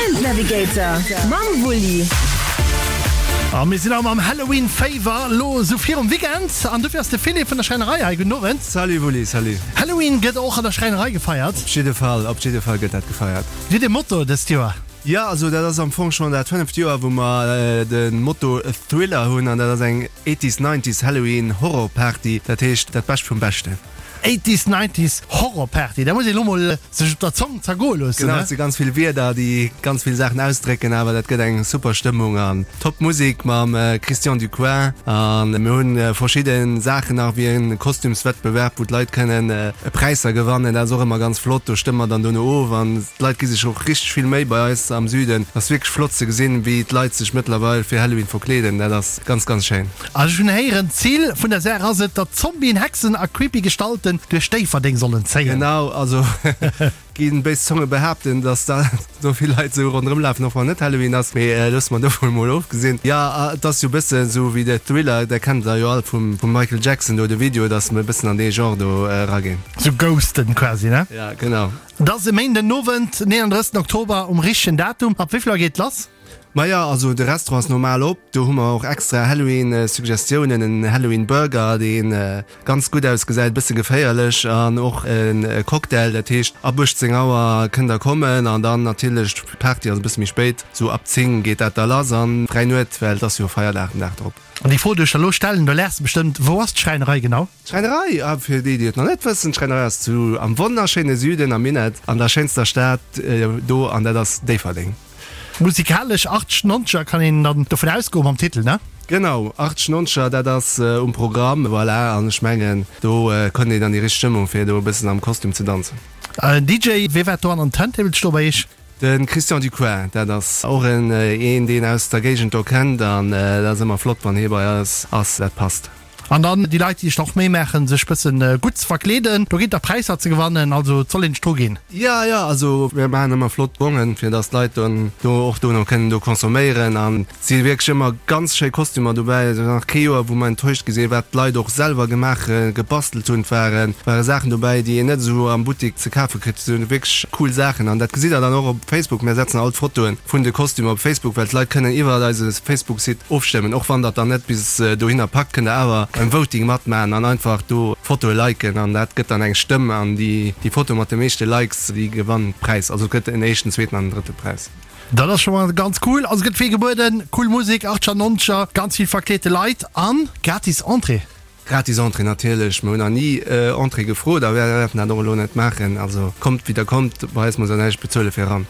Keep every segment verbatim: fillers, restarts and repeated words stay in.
Event Navigator mam Wulli. A mir sinn am am Halloween Féiwer lo sou virum Weekend an dofir ass de Philippe vun der Schräinerei hei. Gudden Owend. Salut Wulli, salut. Halloween gëtt och an der Schräinerei gefeiert? Op jidde Fall, op jidde Fall gëtt dat gefeiert. Dir hutt e Motto dëst Joer? Jo, also dat ass am Fong schonn dat fënneft Joer, wou mer de Motto Thriller hunn an dat ass eng Eighties, Nineties Halloween Horror Party, dat heescht dat Bescht vum Beschten. Eighties, Nineties Horror Party, dat muss een elo mol sech op der Zong zergoe loossen, Genau, ne? et si ganz vill Wierder, déi ganz vill Saachen ausdrécken, awer dat gëtt eng super Stëmmung an top Musek mam Christian Ducoin. An mir hunn verschidde Saachen nach, wéi e Kostümswettbewerb, wou d'Leit kënnen Präisser gewannen. Dat ass och ëmmer ganz flott, do stëmme mer dann dono of an d'Leit gi sech och richteg vill Méi bei eis am Süden. Et ass wierklech flott ze gesinn, wéi d'Leit sech mëttlerweil fir Halloween verkleeden. Dat ass ganz, ganz schéin. An ech hunn héieren, d'Zil vun der Saach ass et, datt Zombien, Hexen a creepy Gestalten duerch Déifferdeng sollen zéien. Genau, also ginn béis Zonge behaapten, datt da sou vill Leit sou ronderëm lafen, och wann net Halloween ass. Mee loosse mer dovun emol ofgesinn. Jo, et ass jo e bësse sou wéi de Thriller, dat kennt der jo all vum Michael Jackson do, de Video, datt mer e bëssen an dee Genre do eraginn. Sou Ghosten quasi, ne? Ja, genau. Et ass e Méinden Owend, neununddrëssegsten Oktober, um richtegen Datum. Ab wéi vill Auer geet et lass? Maja, also de Restaurant ass normal op. Do hu mer och extra Halloween-Suggestiounen, en Halloween-Burger, dee ganz gutt ausgesäit, e bësse geféierlech, an och e Cocktail. Dat heescht, ab uechtzéng Auer kënnt der kommen an dann natierlech, d'Party ass e bësse méi spéit, sou ab zéng geet dat da lass an fräi Nuet, well et ass jo Feierdag den Dag drop. An déi Fro, déi ech der elo stellen, do laachs de bestëmmt, Wou ass d'Schräinerei genau? D'Schräinerei, ah, fir déi, déi et nach net wëssen, d'Schräinerei ass zu, am wonnerschéine Süden, am Minett, an der schéinster Stad do, an dat ass Déifferdeng. Musikalesch achteg, nonzeger kann een dann dovun ausgoen mam Titel, ne? Genau, achteg, nonzeger, dat ass um Programm, voilà, an ech mengen, do kënnt een an déi richteg Stëmmung, fir do e bëssen am Kostüm ze danzen. D J, wee wäert do an den Turntables stoe bei iech? De Christian Ducoin, dat ass och en een, deen aus der Géigend do kennt, an dat ass ëmmer flott, wann hie bei eis ass, dat passt. An dann déi Leit, déi sech nach Méi maachen, sech bëssen gutt ze verkleeden, do ginn et nach Präisser ze gewannen, also et soll een sech dru ginn. Jo, jo, also mir maachen ëmmer flott Bongen, fir dass d'Leit dann do och dono kënnen do consomméieren. An et si wierklech ëmmer ganz schéi Kostümer dobäi. Et ass nach kee Joer, wou mer enttäuscht gi sinn, wat d'Leit och selwer gemaach, gebastelt hunn. Et ware ware Saachen dobäi, déi een net esou am Buttek ze kafe kritt. Et si wierklech cool Saachen an dat gesitt der dann och op Facebook. Mir setzen all d'Fotoe vun de Kostümer op Facebook, well d'Leit kënnen iwwer eise Facebook-Site ofstëmmen. Och wann der et dann net bis dohinner packt, kënnt der awer beim Voting matmaachen an einfach do Fotoe liken an dat gëtt dann eng Stëmm an déi déi Foto mat de meeschte Likes déi gewannt Präis. Also et gëtt en éischten, zweeten an en drëtte Präis. Dat ass scho mol ganz cool. Also et gëtt vill gebueden, cool Musek, achtzeger, nonzeger, ganz vill verkleete Leit an gratis Entrée. Gratis Entrée natierlech, mer hunn nach ni Entrée gefrot a wäerten dat och elo net maachen. Also kommt wéi der kommt, bei eis muss der näischt bezuele fir eran.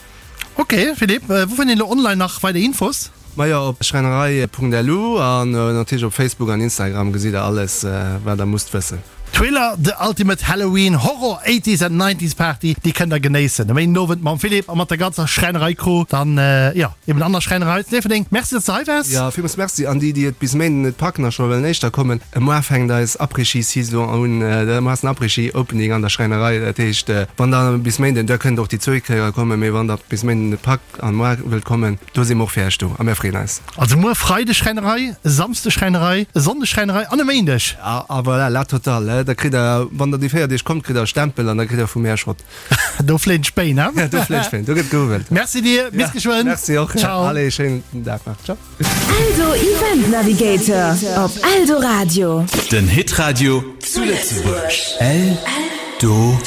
Ok Philippe, wou fënnt een elo online nach weider Infos? Majo, op schräinerei punkt L U an natierlech op Facebook an Instagram gesitt der alles wat der musst wëssen. Thriller, The Ultimate Halloween Horror Eighties and Nineties Party, déi kënnt der genéissen e Méinden Owend mam Philippe a mat der ganzer Schräinerei Crew dann, jo, eben an der Schräinerei zu Déifferdeng. Merci, dass de hei waars. Jo, villmools Merci an déi, déi et bis Méinden net packen a scho wëllen éischter kommen, muar fänkt eis Après-Ski Saison un, muar ass den Après-Ski Opening an der Schräinerei, dat heescht wann der bis Méinden, der kënnt och déi zwéi Kéier kommen, mee wann der bis Méinden net packt an muar wëllt kommen, do si mer och fir iech do a mir freeën eis. Also muer Freideg Schräinerei, e Samsdeg Schräinerei, e Sonndeg Schräinerei an e Méindeg. A a voilà, la totale, da kritt der, wann der déi véier Deeg kommt, kritt der e Stempel an da kritt der vu mär e Shot. Do fléien d'Spéin, he? Ja, do fléien d'Spéin, do gëtt gehuwwelt. Merci dir, bis geschwënn. Merci och. Ciao. Allez, schéinen Dag nach. Ciao. Eldo Event Navigator op Eldoradio. Den Hitradio zu Lëtzebuerg. Eldo.